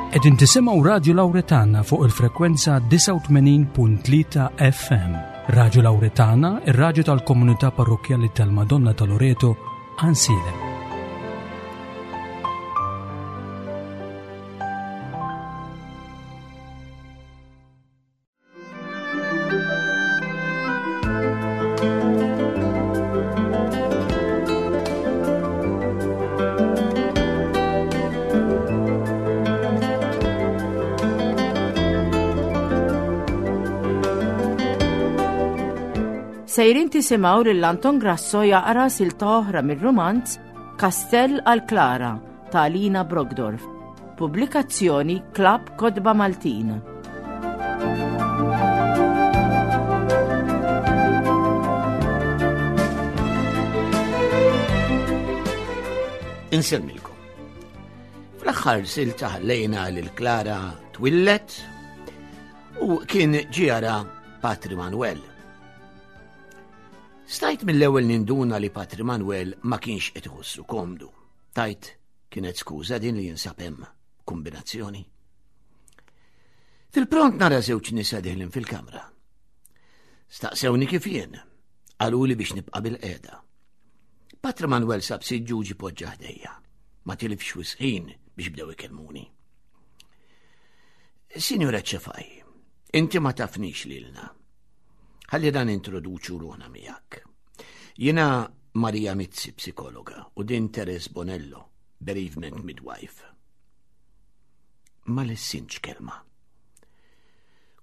Qegħdin tisimgħu Radju Lawretana fuq il-frekwenza 89.3 FM. Radju Lawretana, ir-radju tal-komunità parrokkjali tal-Madonna ta' Loreto, Ansilem. Sejrin tisimgħu lil Anton Grasso jaqra silta oħra mir-rumanz Kastell għal Klara ta' Alina Brogdorf. Pubblikazzjoni Klabb Kotba Maltin. Insemmilkom. Fl-aħħar silta ħallejna lil Klara twillet u kien ġiara Patri Manuel. Stajt mill-ewwel ninduna li Patri Manuel ma kienx qed iħossu komdu. Tajt kienet skuża din li jinsab hemm kombinazzjoni. Fil-pront nara żewġ nisa diħlin fil-kamra. Staqsewni kif jien, qaluli biex nibqa' bil-qeda. Patri Manuel sab siġġu ġi poġġa ħdejja. Ma tilifx wisħin biex bdew ikellmuni. Sinjura Ċefaj, inti ma tafnix lilna. Ħalli dan introduċu ruħna miegħek. Jiena Maria Mizzi, psikologa, u din Teres Bonello, bereavement midwife. Ma lessintx kelma.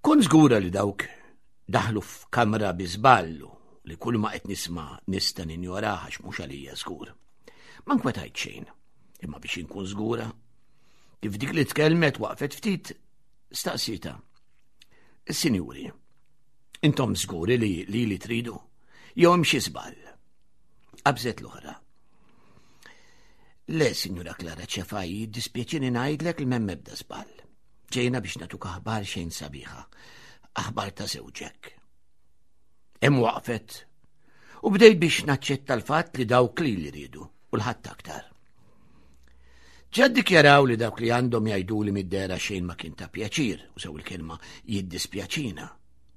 Kun żgura li dawk daħlu f'kamra bi żballu li kull ma qed nisma' nista' ninjoraha għax mhux għalija żgur. Ma nkwetajt xejn, imma biex inkun żgura, kif dik li tkellmet waqfet ftit staqsita. Sinjuri, intom żguri li li li tridu? Jew hemm xi żball? Qabżet l-oħra. Le, Sinjura Klara Ċefaj, jiddispjaċini ngħidlek li m'hemm ebda żball. Ġejna biex nagħtuk aħbar xejn sabiħa, aħbar ta' żewġek. Hemm waqfet u bdejt biex naċċetta l-fatt li dawk li li riedu u l-ħadd aktar. Ġa ddikjaraw li dawk li għandhom jgħidu li mid-dera xejn ma kien ta' pjaċir, u sew il-kelma jiddispjaċina.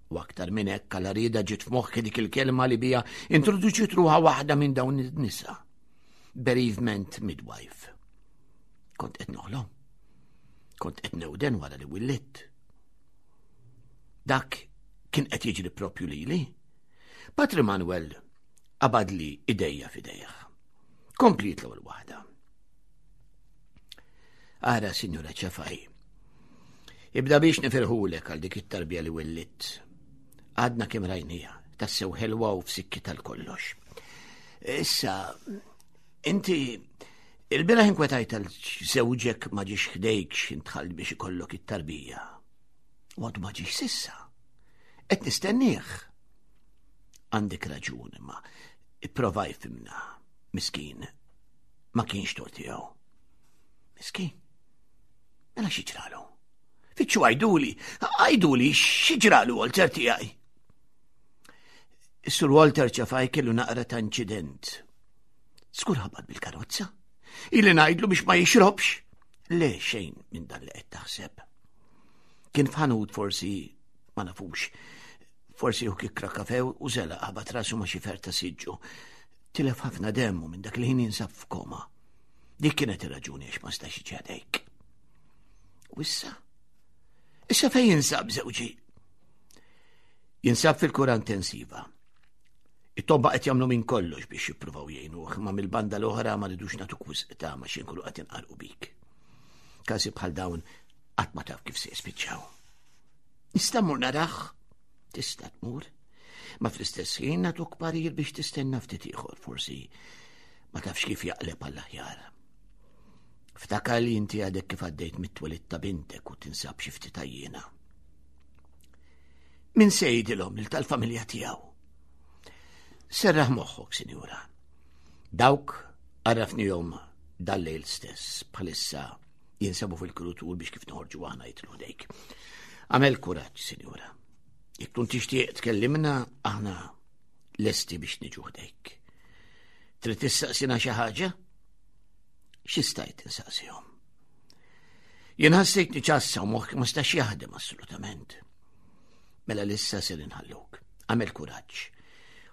U aktar minn hekk għal rieda ġiet f'moħħi dik il-kelma li bija introduċiet ruħha waħda minn dawn in-nisa. Bereavement midwife. Kont qed noħlom. Kont qed newden wara li willitt. Dak kien qed jiġri propju lili. Patri Manuel qabadli idejja f'idejh. Kompliet l-ewwel waħda. Ara, Sinjura Ċefaj, ibda biex nifirħulek għal dik it-tarbija li willitt. Għadna kemm rajnija, tassew ħelwa u f'sikki tal-kollox. Issa, inti il-biraħ inkwetajt għal żewġek ma ġiex ħdejk x'intħall biex ikollok it-tarbija. U għadu ma ġiex sissa. Qed nistennieh. Għandek raġun imma ipprova jfimna, miskin, ma kienx tort tiegħu. Miskin, mela xi ġralu? Fittxu għajduli, għajduli xi ġralu Walter tiegħi. Is-Sur Walter ċafaj kellu naqra ta' inċident. Skur ħabat bil-karozza. Ili ngħidlu biex ma jixrobx. Le xejn minn dan li qed taħseb. Kien f'ħanut forsi ma nafux. Forsi hu kikra kafe u zela ħabat rasu ma xi ferta siġġu. Tilef ħafna demmu minn dak il-ħin jinsab f'koma. Dik kienet ir-raġuni għax ma stax iġadejk. U issa? Issa fejn jinsab żewġi? Jinsab fil-kura intensiva. It-tobba qed jagħmlu minn kollox biex jippruvaw jgħinuh, ma mill-banda l-oħra ma ridux nagħtuk wisq ta' ma xi nkunu qed inqarqu bik. Każi bħal dawn qatt ma taf kif se jispiċċaw. Nista' mmur narah? Tista' tmur. Ma fl-istess ħin nagħtuk parir biex tistenna ftit ieħor forsi ma tafx kif jaqleb għall-aħjar. Ftakar li inti għadek kif għaddejt mit-twelid ta' bintek u tinsab xi ftit għajjiena. Min se jgħidilhom lil tal-familja tiegħu? Serraħ moħħok, sinjura. Dawk għarrafnihom dal-lejl stess bħalissa jinsabu fil-krutur biex kif noħorġu aħna jitlu ħdejk. Għamel kuraġġ, sinjura. Jekk tkun tixtieq tkellimna, aħna lesti biex niġu ħdejk. Trid tistaqsina xi ħaġa? Xi stajt insaqsihom? Jien ħassejtni ċassa u moħħi ma stax jaħdem assolutament. Mela lissa ser inħalluk. Għamel kuraġġ.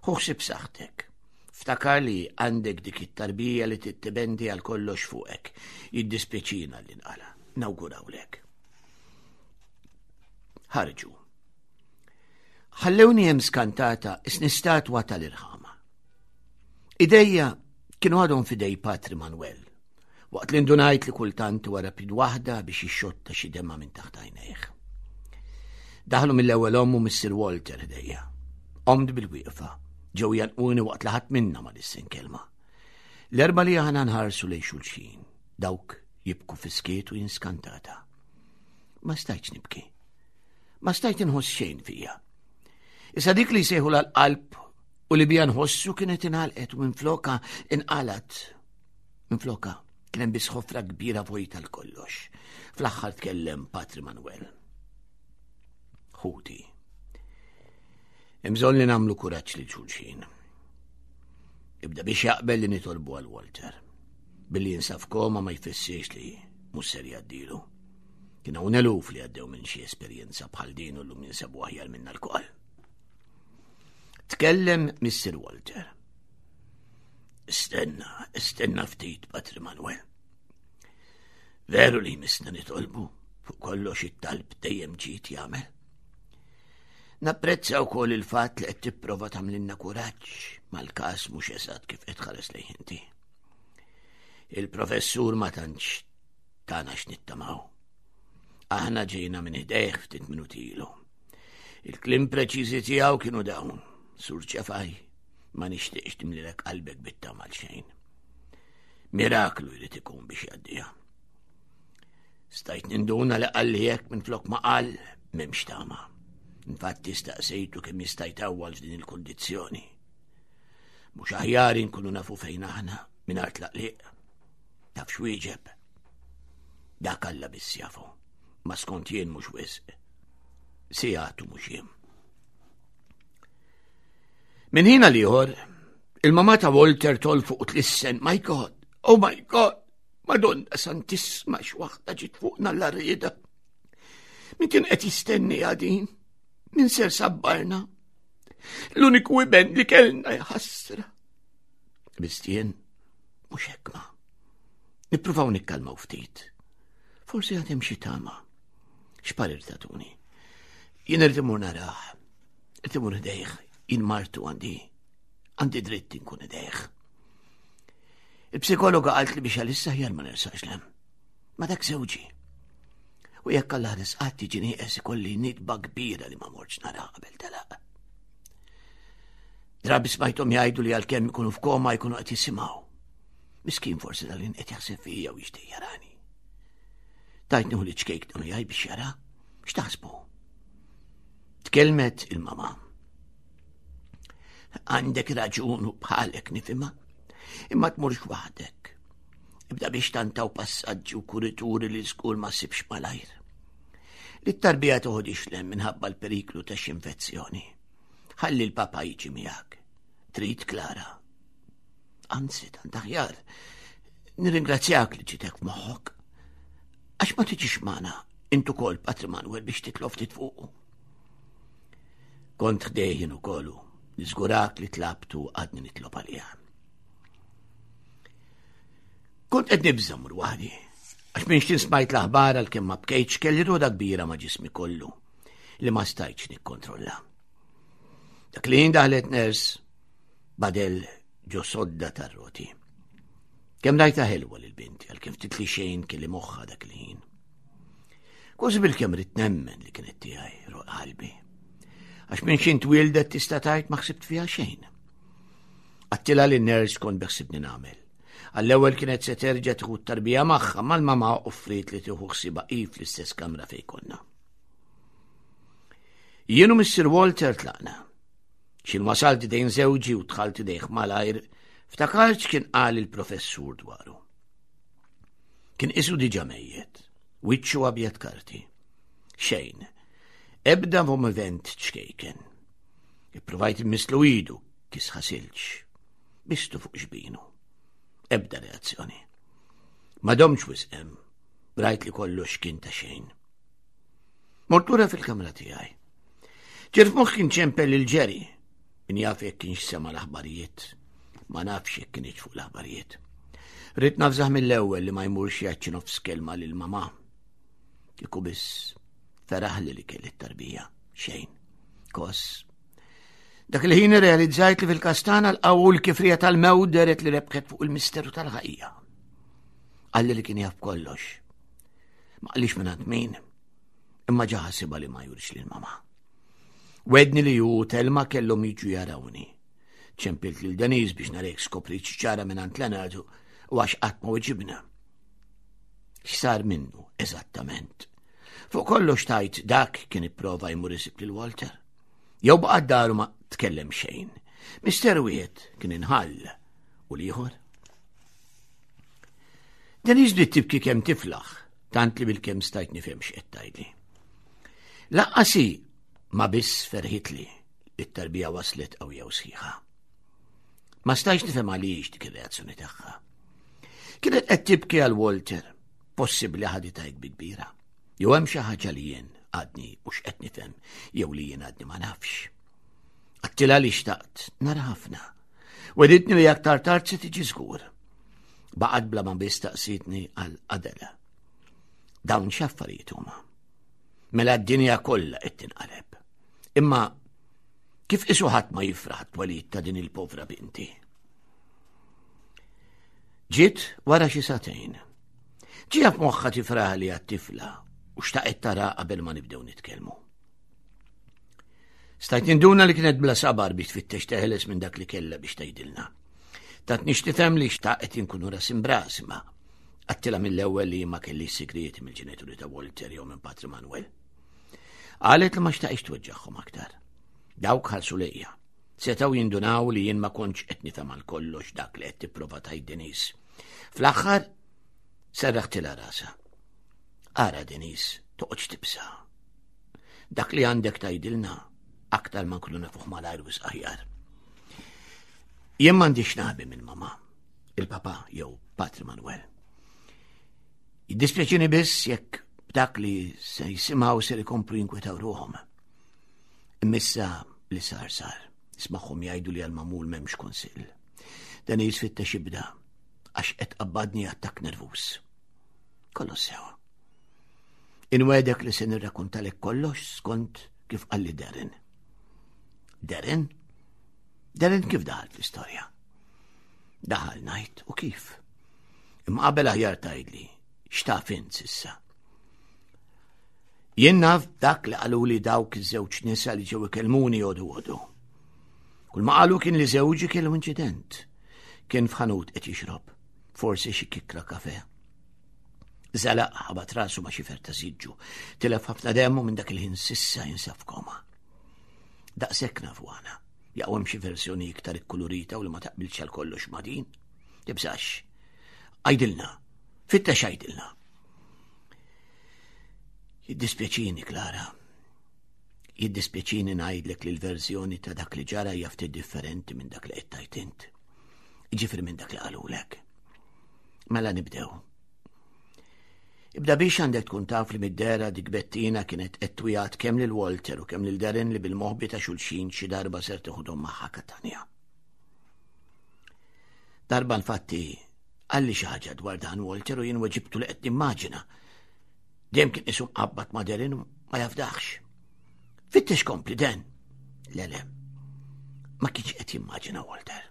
Ħu ħsieb saħħtek. Ftakar li għandek dik it-tarbija li tittibendi għal kollox fuqek. Jiddispjaċina li nqala. Nawgurawlek. Ħarġu. Ħallewni hemm skantata isni statwa tal-irħama. Idejja kienu għadhom fidej Patri Manuel, waqt li ndunajt li kultant wara pid waħda biex jixxotta xi demma minn taħt għajnejh. Daħlu mill-ewwel omm u Mr. Walter ħdejja. Omd bil-wieqfa, ġew janquni waqt li ħadd minna ma lissen kelma. L-erba li aħna nħarsu lejn xulxin, dawk jibku fiskiet u jinskantata. Ma stajtx nibki. Ma stajt inħoss xejn fija. Issa dik li jsejħu l-qalb u li bija nħossu kienet inħalqet u minfloka inqalat. Minfloka kien hemm biss ħofra kbira vojta l-kollox. Fl-aħħar tkellem Patri Manuel. Ħuti. Hemm bżonn li nagħmlu kuraġġ lil xulxin. Ibda biex jaqbel li nitolbu għal Walter. Billi jinsab koma ma jfissirx li mhux ser jgħaddilu. Kien hawn eluf li għaddew minn xi esperjenza bħal din u llum jinsabu aħjar minna lkoll. Tkellem Mr. Walter. Istenna, istenna ftit, Patri Manuel. Veru li misna nitolbu fuq kollox it-talb dejjem ġid jagħmel. Napprezza wkoll il-fatt li qed tipprova tagħmlilna kuraġġ mal-każ mhux eżatt kif qed tħares lejh inti. Il-professur ma tantx tana x'nittamaw. Aħna ġejna minn ħdejh ftit minuti ilu. Il-klim preċiżi tiegħu kienu dawn, Sur Ċefaj, ma nixtieqx timlilek qalbek bit-tama xejn. Miraklu jrid ikun biex jgħaddiha. Stajt ninduna li qalli hekk minn flok ma qal m'hemmx tama. Infatti staqsejtu kemm jista' jtawwal f'din il-kundizzjoni. Mhux aħjar inkunu nafu fejn aħna mingħajr tlaqliq. Taf x'wieġeb? Dak Alla biss jafu, ma skont jien mhux wisq. Sigħat u mhux jiem. Minn ħin għal ieħor, il-mama ta' Walter tol fuq tlissen, my God, oh my God, Madonna Santissima x'waħda ġiet fuqna l-arrieda. Min kien qed jistenni għadin? Min ser sabbarna? L-uniku iben li kellna jħassra. Bistien, mhux hekk ma. Nippruvaw nikkalmaw ftit. Forsi għad hemm xi tama. X'parir tatuni? Jien irid imur narah. Irid imur ħdejh. Jien martu għandi. Għandi dritt inkun ħdejh. Il-psikologa qalt li biex għalissa ħjar ma nersax lem. Ma dak żewġi. U jekk Alla ħares qatt tiġi nieqes ikolli nitba kbira li ma mortx nara qabel telaq. Drabi smajthom jgħidu li għalkemm ikunu f'koma jkunu qed jisimgħu. Miskin forsi dal-in qed jaħseb fija u jixtieq jarani. Tajt nieħu li ċkejk dan jgħid biex jara, x'taħsbu? Tkellmet il-mama. Għandek raġun u bħalek nifhimha, imma tmurx waħdek. Ibda biex tantaw passaġġi u kurituri li żgur ma sibx malajr. Li t-tarbija toħodix lem minħabba l-periklu ta' x'infezzjoni. Ħalli l-papa jiġi miegħek. Trid Klara. Anzi, tant aħjar. Nirringrazzjak li ġitek f'moħħok. Għax ma tiġix magħna intu kol Patri Manuel biex titlob ftit fuqu. Kont ħdejjin ukoll niżgurak li tlabtu għadni nitlob għaliha. Kont qed nibża' mur waħdi, għax minn xtin smajt l-aħbar għalkemm ma bkejtx kelli roda kbira ma' ġismi kollu li ma stajtx nikkontrolla. Dak li daħlet ners badel ġo sodda tar-roti. Kemm rajta ħelwa lil binti għalkemm ftit li xejn kelli moħħa dak il-ħin. Kważi bil-kemm rid nemmen li kienet tiegħi roq qalbi. Għax minn xi twildet tista' tgħid ma ħsibt fiha xejn. Għattilha li ners kont beħsibni nagħmel. Għall-ewwel kienet se terġa' tieħu t-tarbija magħha mal-mama offriet li tieħu ħsiba hi fl-istess kamra fejn konna. Jien u Mr. Walter tlaqna. X'in wasalt idejn żewġi u dħalt idejh malajr, ftakart x'kien qal il-professur dwaru. Kien isu diġa mejjet, wiċċu abjad karti. Xejn, ebda moviment ċkejken. Ippruvajt immislu idu, kisħa silġ. Bistu fuq xbinu. Ebda reazzjoni. Ma domx wisqem. Rajt li kollox kien ta' xejn. Mort lura fil-kamra tiegħi. Ġerf moħħ kien ċempel lil Jerry. Min jaf jekk kienx sema l-aħbarijiet. Ma nafx jekk kienx fuq l-aħbarijiet. Rrid nafżaħ mill-ewwel li ma jmurx jgħid xi nofs kelma lil mamà. Kieku biss feraħli li kelli t-tarbija. Xejn. Kos. Dak il-ħin realizzajt li fil-kastana l-qawwu l-kifrija tal-mewt deret li rebħet fuq il-misteru tal-ħajja. Qalli li kien jaf kollox. Ma qalix minn min, imma ġa ħasibha li ma jurix lil mama. Wedni li ju Telma kellhom jiġu jarawni. Ċempilt lil Denise biex narek skopri ċara minn għand Leonard u għax qatt ma weġibna. X'sar minnu eżattament? Fuq kollox tajt dak kien ipprova jmur isib lil Walter. Jew baqa' daru ma tkellem xejn. Misteru wieħed kien inħall u l-ieħor. Denise bdiet tibki kemm tiflaħ, tant li bil-kemm stajt nifhem x'qed tgħidli. Laqqas hi ma biss ferħitli li t-tarbija waslet qawwija u sħiħa. Ma stajx nifhem għaliex dik ir-reazzjoni tagħha. Kienet qed tibki għal Walter, possibbli ħaditha hekk bi kbira. Jew hemm xi ħaġa li jien għadni mhux qed nifhem jew li jien għadni ma nafx. Għattilha li xtaqt nara ħafna. Weditni li aktar tard se tiġi żgur. Baqgħet bla ma biss taqsitni għal Adela. Dawn x'affarijiet huma. Mela d-dinja kollha qed tinqaleb. Imma kif isu ħadd ma jifraħ twelid ta' din il-povra binti? Ġiet wara xi sagħtejn. Ġie f'moħħha tifraħ li għat-tifla u xtaqet tara qabel ma nibdew nitkellmu. Stajt ninduna li kienet bla sabar biex tfittex teħles minn dak li kellha biex tgħidilna. Tatni tifhem li xtaqet inkunu ras imbras imma għattila mill-ewwel li ma kelli sigrieti mill-ġenituri ta' Walter jew minn Patri Manuel. Qalet li ma xtaqix tweġġagħhom aktar. Dawk ħalsu lejja. Setgħu jindunaw li jien ma kontx qed nifhem għal kollox dak li qed tipprova tgħid Denise. Fl-aħħar serraħtilha rasa. Ara Denise, toqgħodx tibsa. Dak li għandek tgħidilna aktar ma nkunu nafuh malajr wisq aħjar. Jien m'għandix naħbi minn mama, il-papa jew Patri Manuel. Jiddispjaċini biss jekk b'dak li se jisimgħu ser ikomplu jinkwetaw ruħhom. Immissa li sar sar, ismagħhom jgħidu li għal-mamul m'hemmx kunsill. Dan jisfitta xibda għax qed qabbadni attakk nervuż. Kollox sewa. Inwedek li se nirrakuntalek kollox skont kif qalli Darren. Darren? Darren kif daħal fl-istorja? Daħal ngħid u kif? Imma qabel aħjar tgħidli x'taf int s'issa. Jien naf dak li qaluli dawk iż-żewġ nisa li ġew ikellmuni għodu għodu. Kull ma qalu kien li żewġi kellu inċident. Kien f'ħanut qed jixrob, forsi xi kikra kafe. Zalaq ħabat rasu ma' xifer ta' siġġu. Tilef ħafna demmu minn dak il-ħin sissa jinsab f'koma. Daqshekk nafu għana. Jaqgħu hemm xi versjoni iktar ikkulurita u li ma taqbilx għal kollox ma' din. Tibżax. Għajdilna. Fittex għajdilna. Jiddispjaċini, Klara. Jiddispjaċini ngħidlek li l-verżjoni ta' dak li ġara hija ftit differenti minn dak li qed tgħid int. Ġifieri minn dak li qalulek. Mela nibdew. Ibda biex għandek tkun taf li mid-dera dik Bettina kienet qed twiegħed kemm lil Walter u kemm lil Darren li bil-moħbi ta' xulxin xi darba ser teħodhom magħha Katanja. Darba infatti qalli xi ħaġa dwar dan Walter u jien weġibtu li qed nimmaġina. Dejjem kien isu mqabbad ma' Darren u ma jafdaħx. Fittex kompli Dan. Le le. Ma kienx qed jimmaġina Walter.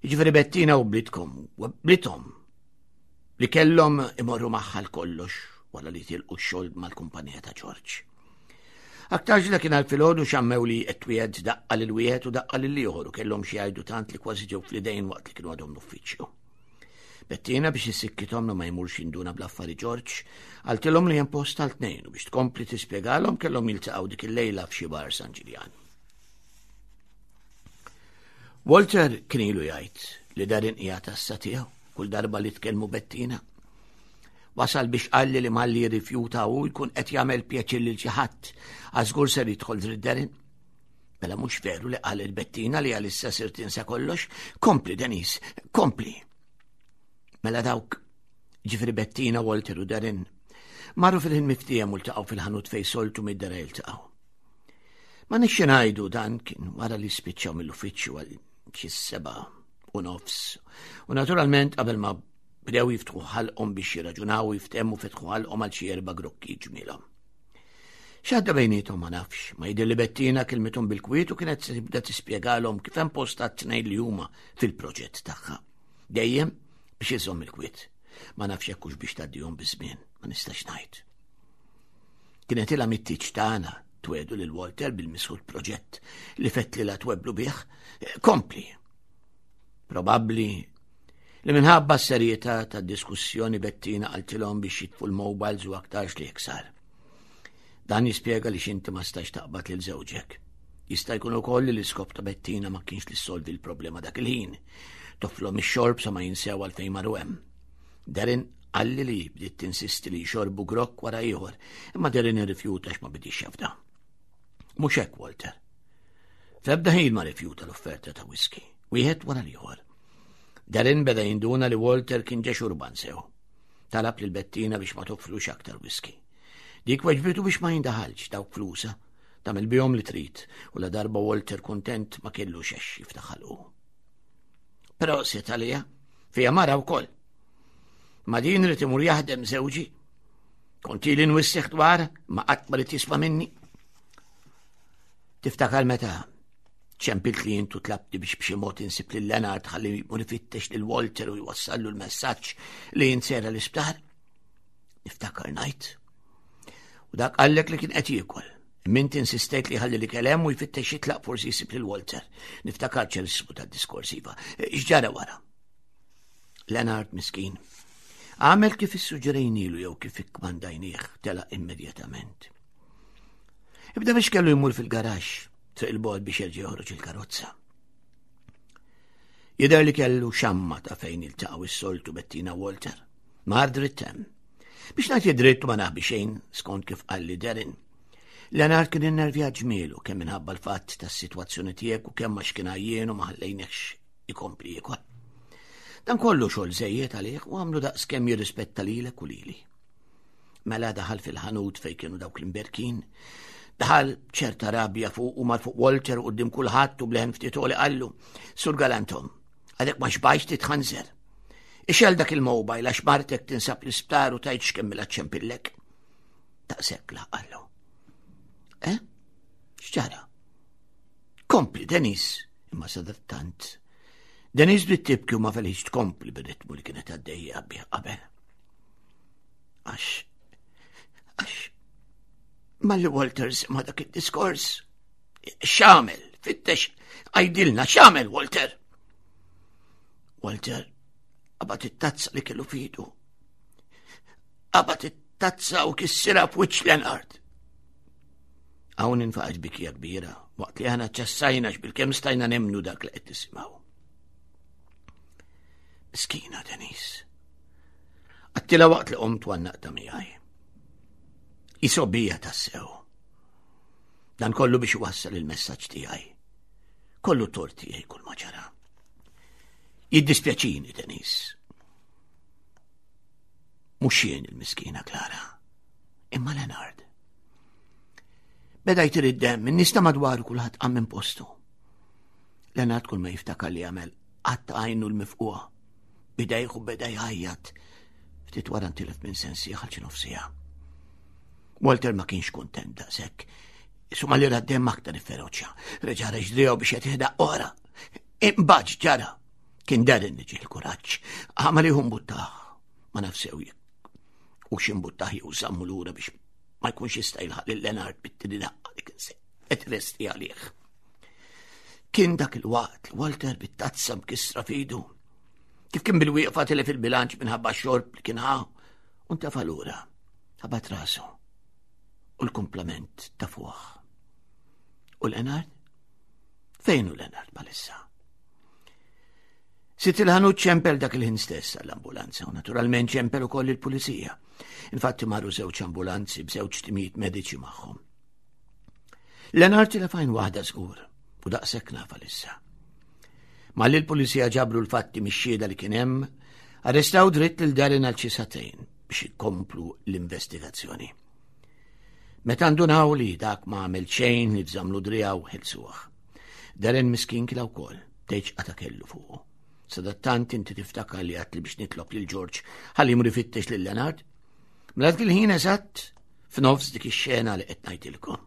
Jiġifieri Bettina u blitkom, u blithom li kellhom imorru magħha l-kollox wara li tilqu x-xogħol mal-kumpanija ta' George. Aktarx dakinhar filgħodu xammew li qed twiegħed daqqa lil wieħed u daqqa lil ieħor u kellhom xi jgħidu tant li kważi ġew fl-idejn waqt li kienu għadhom l-uffiċċju. Bettina biex issikkithom li ma jmurx jinduna bl-affari George, qaltilhom li hemm post għal tnejn u biex tkompli tispjegalhom kellhom jiltaqgħu dik il-lejla f'xi bar San Ġiljan. Walter kien ilu jgħid li Darren qiegħed għassa tiegħu kull darba li tkellmu Bettina. Wasal biex qalli li malli jirrifjuta u jkun qed jagħmel pjaċir lil xi ħadd għaż żgur ser jidħol dritt Darren. Mela mhux veru li qal il-Bettina li għalissa sir tinsa kollox. Kompli, Denise, kompli. Mela dawk Ġifieri Bettina, Walter u Darren, marru fil-ħin miftiehem u ltaqgħu fil-ħanut fejn soltu mid-dara jiltaqgħu. Ma nixxi ngħidu dan kien wara li spiċċaw mill-uffiċċju għal xi 7:30. U naturalment qabel ma bdew jiftħu ħalqhom biex jirraġunaw u jiftehmu fetħu ħalqhom għal xi erba' grokki ġmielhom. X'għadda bejniethom ma nafx, ma jidher li Bettina kilmithom bil-kwiet u kienet se tibda tispjegalhom kif hemm post għat-tnejn li huma fil-proġett tagħha. Dejjem biex iżomm il-kwiet. Ma nafx jekk hux biex tgħaddihom biż-żmien, ma nistax ngħid. Kienet ilha mit-tieġ tagħna twedu lil Walter bil-misħut proġett li fett li la tweblu bih. Kompli. Probabbli li minħabba s-serjetà tad-diskussjoni Bettina qaltilhom biex jitfu l-mobiles u aktarx li sar. Dan jispjega li xinti ma stax taqbad lil żewġek. Jista' jkun ukoll li l-iskop ta' Bettina ma kienx li ssolvi l-problema dak il-ħin. Toflhom ix-xorb sa ma jinsew għalfejn marru hemm. Darren qalli li bdiet tinsisti li jxorbu grokk wara ieħor, imma Darren irrifjuta x'ma bidix jafda. Mhux hekk, Walter. F'ebda ħin ma rifjuta l-offerta ta' whisky, wieħed wara l-ieħor. Darren beda jinduna li Walter kien ġa xurban sew. Talab lil Bettina biex ma tofflux aktar whisky. Dik weġbitu biex ma jindaħalx dawk flusa, tagħmel bihom li trid, u la darba Walter kuntent ma kellu xex jiftaħalqu. Però se talija, fija mara wkoll. Ma din rid imur jaħdem żewġi. Kont ili nwissih dwar, ma qatt ma rid jisma' minni. Tiftakar meta ċempilt li jintu tlabti biex b'xi mod insib lil Leonard ħalli jmur ifittex lil Walter u jwassallu l-messaġġ li jinsera l-isptar? Niftakar ngħid. U dak qallek li kien qed jiekol. Mint insistejt li ħalli li kelem u jfittex jitlaq forsi jsib lil Walter. Niftakar ċerismu tad-diskors iva. X'ġara wara? Leonard miskin. Għamel kif issuġġerejnilu jew kif ikkmandajnieh telaq immedjatament. Ibda biex kellu jmur fil-garaxx, triq il-bogħod biex jerġa' joħroġ il-karozza. Jidher li kellu xamma ta' fejn iltaqgħu s-soltu Bettina Walter. Mar dritt hemm. Biex nagħti dritt ma naħbi xejn skont kif qalli Darren. Leonard kien innervjat ġmielu kemm minħabba l-fatt tas-sitwazzjoni tiegħek u kemm għax kien għajjien u ma ħallejnekx ikompli jiekol. Dan kollu xogħol żejjed għalih u għamlu daqs kemm jirrispetta lilek u lili. Mela daħal fil-ħanut fejn kienu dawk l-imberkin. Daħal ċerta rabja fuq u mar fuq Walter u qudiem kulħadd u bleħen ftit li qallu, Sur Galantom, għadek ma xbajx titħanżer. Ixel dak il-mobile għax martek tinsab l-isptar u tajt x'kemm mela ċempillek. Taqsek la qallu. Eh? X'ġara? Kompli, Denis, imma sadattant. Denis bdiet tibki u ma felħiġ tkompli bir-ritmu li kienet għaddejja bih qabel. Għax, għax, malli Walter sema dak id-diskors, xamel, fittex, għajdilna, xamel, Walter. Walter, qabat it-tazza li kellu fidu. Qabat it-tazza u kissira f'wiċċ Leonard. Hawn infaqgħet bikija kbira, waqt li aħna ċassajna x'bil-kemm stajna nemnu dak li qed nisimgħu. Miskina Denise. Għattila waqt li qomt għannaqta miegħi. Isobija tassew. Dan kollu biex wassal il-messaġġ tiegħi. Kollu tort tiegħi kull ma ġara. Jiddispjaċini, Denise. Mhux jien il-miskina Klara, imma Leonard. Beda jtir id-demm, in-nies ta' madwaru kulħadd qam minn postu. Leonard kull ma jiftakar li għamel qatt għajnu l-mifquha. Bidejh u beda jgħajjat. Ftit wara ntilef minn sensi għal xi nofsija. Walter ma kienx kuntent daqshekk. Isuma li raddem aktar ifferoċja. Reġa' reġdriegħu biex qed jihda ora. Imbagħad ġara. Kien Darren li ġie l-kuraġġ. Għamal iħu mbuttaħ. Ma naf sew jekk. U x'imbuttaħ jew żammu lura biex ma jkunx jista' jilħaq lil Leonard bit-tieni daqqa li kien se qed resti għalih. Kien dak il-waqt li Walter bit-tazza mkissra fidu. Kif kien bil-wieqfa tilef il-bilanċ minħabba xorb li kien ħa u ntefa' lura. Ħabat rasu u l-kumplament ta' fuq. U Leonard? Fejn hu Leonard bħalissa? Sitt il-ħanut ċempel dak il-ħin stess għall-ambulanza u naturalment ċempel ukoll il-pulizija. Infatti marru żewġ ambulanzi b'żewġ timijiet mediċi magħhom. Leonard tilef għajn waħda żgur u daqshekk nafa lissa. Malli l-pulizija ġabru l-fatti mix-xhieda li kien hemm, Arrestaw dritt lil Darren għal xi sagħtejn biex ikomplu l-investigazzjoni. Meta ndunaw li dak ma għamel xejn li fżamlu drijaw ħelsuh. Darren miskin kila wkoll, tgħidx qata kellu fuqu. Sadattant inti tiftakar li għatli biex nitlob lil George ħalli jmur ifittex lil Leonard. Mela dak il-ħin eżatt f'nofs dik ix-xena li qed ngħidilkom.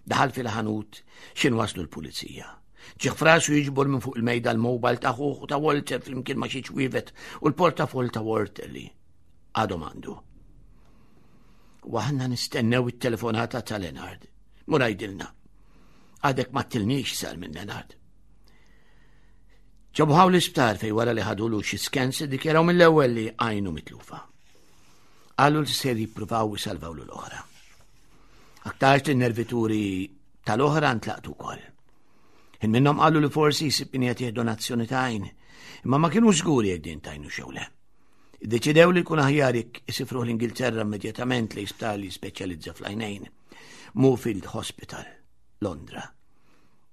Daħal fil-ħanut x'in waslu l-pulizija. Ġieħ frasu jiġbor minn fuq il-mejda l-mobile ta' ħuħ ta' Walter flimkien ma' xi ċwievet u l-portafol ta' Walter li għadhom għandu. U aħna nistennew it-telefonata ta' Leonard. Mur għidilna. Għadek ma tilniex sar minn Leonard. Ġabuħaw l-isptar fej wara li ħadulu xi scans iddikjaraw mill-ewwel li għajnu mitlufa. Qalu li ser jippruvaw isalvaw l-oħra. Aktarx li nervituri tal-oħra ntlaqtu wkoll. Ħin minnhom qalu li forsi jsib min qed donazzjoni ta' għajn, imma ma kienu żguri jekk din tajnu xew le. Iddeċidew li jkun aħjar jekk isifruh l-Ingilterra immedjatament li sptar li speċjalizza fl-għajnejn, Moorfield Hospital, Londra.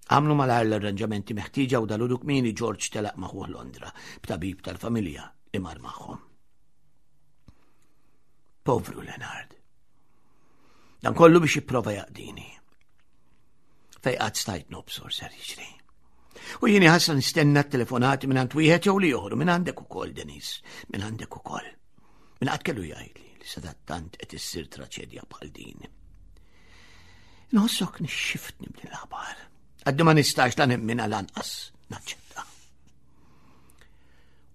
Għamlu malajr l-arranġamenti meħtieġa u dal kmieni George telaq maħuh Londra b'tabib tal-familja li mar magħhom. Povru Leonard. Dan kollu biex jipprova jaqdini. Fej qatt stajt nobsor ser jiġri. U jieni ħassa nistenna t-telefonati minn għand wieħed jew li joħru minn għandek ukoll, Denis, minn għandek ukoll. Minn qatt kellu jgħidli li sadattant qed issir traċedja bħal din. Nħossok nixxiftni b'din l-aħbar. Għaddi ma nistax la nemmina lanqas naċċetta.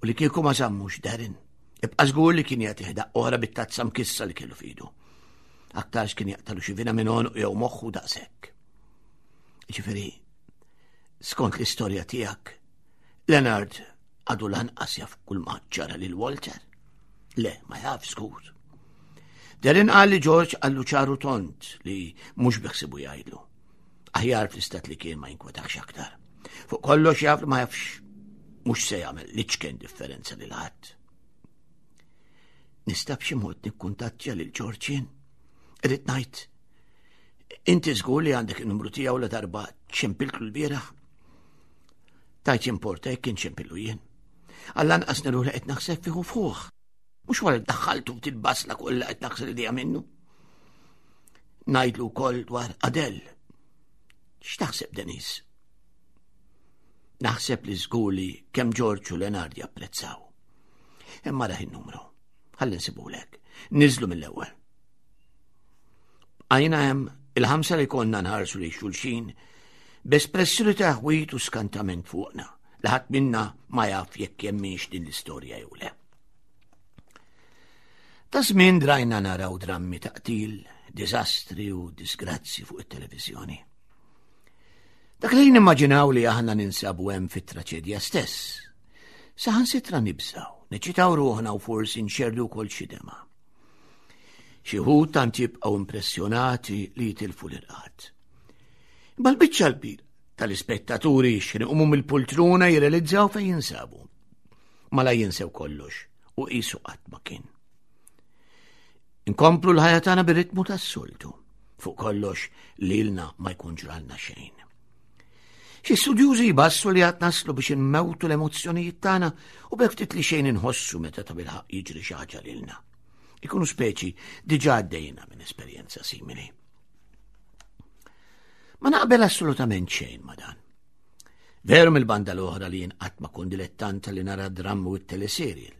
U li kieku ma żammux Darren, ibqa' żgur li kien jagħtih daqqa oħra bit-tazza mkissa li kellu fidu. Aktarx kien jaqtalu xi vina minn għonq jew moħħu daqshekk. Ġifieri, skont l-istorja tiegħek, Leonard għadu lanqas jaf kull ma ġara lil Walter. Le, ma jaf żgur. Darren qal li George qallu ċaru tont li mhux biħsibu jgħidlu. Aħjar fl-istat li kien ma jinkwetax aktar. Fuq kollox jaf li ma jafx mhux se jagħmel liċken differenza lil ħadd. Nista' b'xi mod nikkuntattja lil George jien? Irrid ngħid, inti żgur li għandek in-numru tiegħu la darba ċempiltlu l-bieraħ? Tajt jimporta jekk kien ċempillu jien. Għall-anqas niru li qed naħseb fih u fuq. Mhux wara daħħaltu ftit basla kollha qed naħsel idea minnu. Ngħidlu wkoll dwar Adel. X'taħseb Denis? Naħseb li żgur li kemm Ġorġ u Leonard japprezzaw. Imma raħ in-numru. Ħalli nsibulek. Niżlu mill-ewwel. Għajna hemm il-ħamsa li konna nħarsu li xulxin b'espressjoni ta' ħwit u skantament fuqna li ħadd minna ma jaf jekk jemminx din l-istorja jew le. Ta' żmien drajna naraw drammi ta' qtil, diżastri u disgrazzi fuq it-televiżjoni. Dak li nimmaġinaw li aħna ninsabu hemm fit-traċedja stess. Saħansitra nibżaw, neċitaw ruħna u forsi nxerdu wkoll xi dema. Xi wħud tant jibqgħu impressjonati li jitilfu l-irqad. Imma l-biċċa l-kbira tal-ispettaturi x'ħin iqumu mill-pultruna jirrealizzaw fejn jinsabu. Mala jinsew kollox u qisu qatt ma kien. Inkomplu l-ħajja tagħna bir-ritmu tas-soltu. Fuq kollox lilna ma jkun ġralna xejn. Xi studjużi jbassu li għad naslu biex inmewtu l-emozzjonijiet tagħna u b'hekk ftit li xejn inħossu meta ta' bilħaq jiġri xi ħaġa lilna. Ikunu speċi diġà għaddejna minn esperjenza simili. Ma naqbel assolutament xejn ma dan. Veru mill-banda l-oħra li jien qatt ma kun dilettanta li nara drammu u t-teleserjel.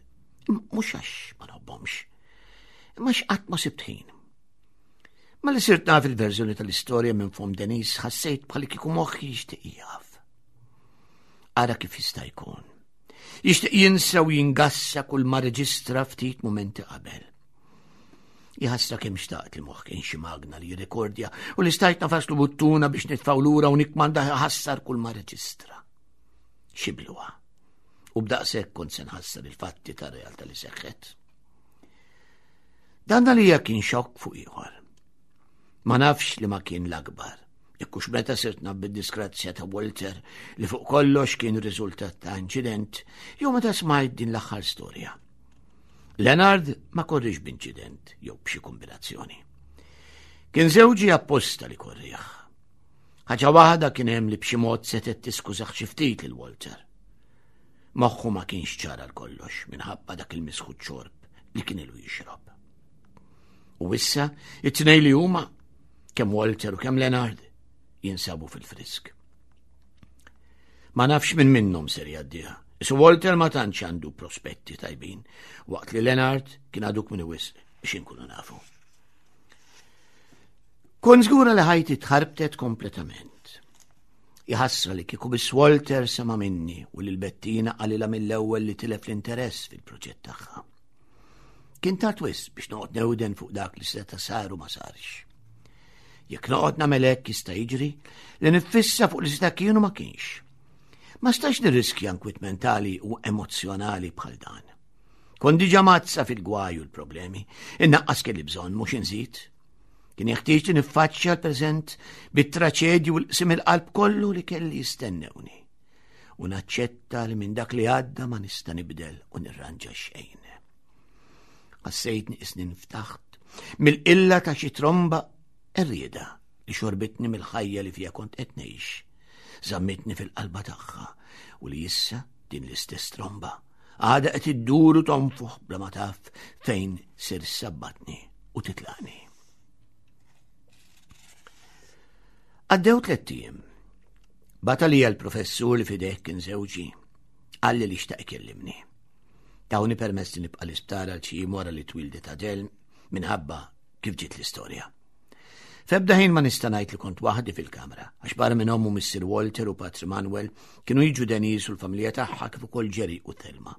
Mhux għax ma nħobbhomx. Imma x'qatt ma sibt ħin. Ma li sirt naf il-verżjoni tal-istorja minn fom Denis ħassejt bħal kieku moħħi jixtieq jaf. Ara kif jista' jkun. Jixtieq jinsa u jingassa kull ma reġistra ftit mumenti qabel. Jħassra kemm xtaqt li moħħ kien xi magna li jirrekordja u li stajt nafaslu buttuna biex nitfgħu lura u nikmanda ħassar kull ma reġistra. Xibluha. U b'daqshekk kont se nħassar il-fatti tar-realtà li seħħet. Dan għalija kien xokk fuq ieħor. Ma nafx li ma kien l-akbar. Ikkux meta sirt naf bid-disgrazzja ta' Walter li fuq kollox kien riżultat ta' inċident, jew meta smajt din l-aħħar storja. Leonard ma korrix b'inċident jew b'xi kombinazzjoni. Kien żewġi apposta li korriħ. Ħaġa waħda kien hemm li b'xi mod setgħet tiskużaħ xi ftit lil Walter. Moħħu ma kienx ċar għal kollox minħabba dak il-misħut xorb li kien ilu jixrob. U issa, it-tnej li huma, kemm Walter u kemm Leonard, jinsabu fil-frisk. Ma nafx minn minnhom ser jgħaddiha. Isu Walter ma tantx għandu prospetti tajbin, waqt li Leonard kien għaduk minn wisq biex inkunu nafu. Kon żgura li ħajti tħarbtet kompletament. Jħassra li kieku biss Walter sema minni u lil Bettina qalilha mill-ewwel li tilef l-interess fil-proġett tagħha. Kien tard wisq biex noqgħod newden fuq dak li seta' sar u ma sarx. Jekk noqgħod nagħmel hekk jista' jiġri li niffissa fuq li seta' kien u ma kienx. Ma stax nirriskja nkwiet mentali u emozzjonali bħal dan. Kont diġà mazza fil-gwaj u l-problemi, innaqqas kelli bżonn mhux inżid. Kien jeħtieġ li niffaċċja l-preżent bit-traċedju u l-qsim il-qalb kollu li kelli jistennewni. U naċċetta li minn dak li għadda ma nista' nibdel u nirranġa xejn. Ħassejtni isni nftaħt mill-qilla ta' xi tromba errieda li xorbitni mill-ħajja li fija kont qed ngħix. Żammitni fil-qalba tagħha u li issa din l-istess tromba għada qed iddur u tonfoħ bla ma taf fejn ser sabbatni u titlaqni. Għaddew tlett ijiem. Bata li l-professur li fideh kien żewġi qalli li xtaq ikellimni. Tawni permess li nibqa' l-isptar għal xi jiem wara li twildet Adel minħabba kif ġiet l-istorja. F'ebda ħin ma nista' ngħid li kont waħdi fil-kamra, għax barra minn ommu Mr. Walter u Patri Manuel kienu jiġu Denise u l-familja tagħha kif ukoll Jerry u Thelma.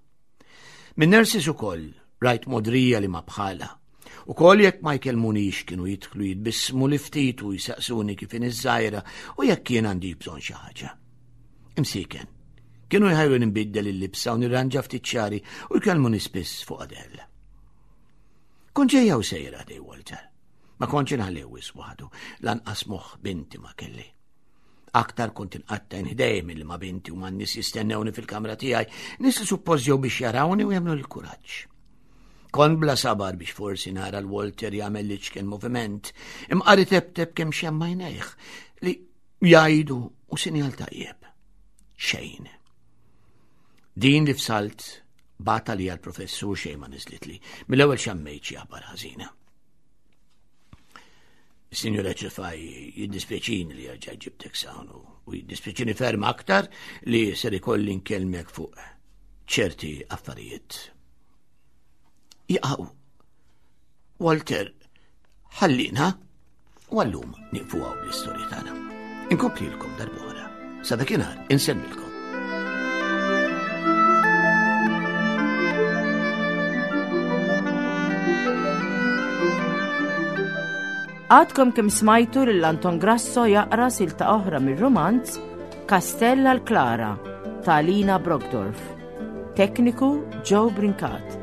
Minn nurses ukoll rajt modrija li ma bħala. U kol jekk ma jkellmunix kienu jidħlu jitbissmu li ftit u jsaqsuni kif in iż-żgħira u jekk jien għandi bżonn xi ħaġa. Imsiken. Kienu jħajru nbiddel il-libsa u nirranġa ftit xari u jkellmuni spiss fuq Adele. Kont ġejja u sejra dej Walter. Ma kontx inħalli wis waħdu, lanqas moħħ binti ma kelli. Aktar kont inqatta inħdej milli ma binti u man nies jistennewni fil-kamra tiegħi, nies li suppost ġew biex jarawni u jagħmlu l-kuraġġ. Kont bla sabar biex forsi nara l-Walter jagħmel li ċken moviment, imqari tebteb kemm xemma jnejh li jgħidu u sinjal tajjeb. Xejn. Din li fsalt bata li għal-professur xejn ma niżlitli. Mill-ewwel xammejt xi aħbar ħażina. Signora Ċefaj, jiddispjaċini li jerġa' ġibtek sawn u jiddispjaċini ferm aktar li ser ikolli nkellmek fuq ċerti affarijiet. Jaqaw, Walter, ħallina u għallum nieqfu għaw bl-istorja tagħna. Inkomplilkom darb'oħra. Sa dakinhar insemmilkom. Għadkom kemm smajtu lil Anton Grasso jaqra silta oħra mir-rumanz Kastell għal Klara ta' Lina Brockdorf. Tekniku Joe Brincat.